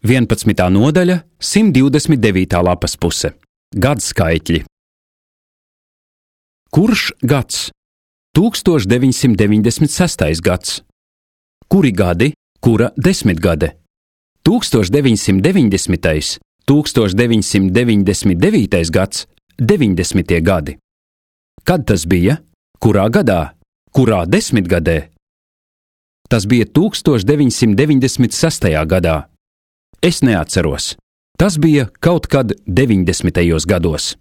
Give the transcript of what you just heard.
11. nodaļa, 129. lapas puse. Gadskaitļi. Kurš gads? 1996. gads. Kuri gadi, kura desmitgade? 1990., 1999. gads, 90. gadi. Kad tas bija? Kurā gadā? Kurā desmitgadē? Tas bija 1996. gadā. Es neatceros. Tas bija kaut kad 90. gados.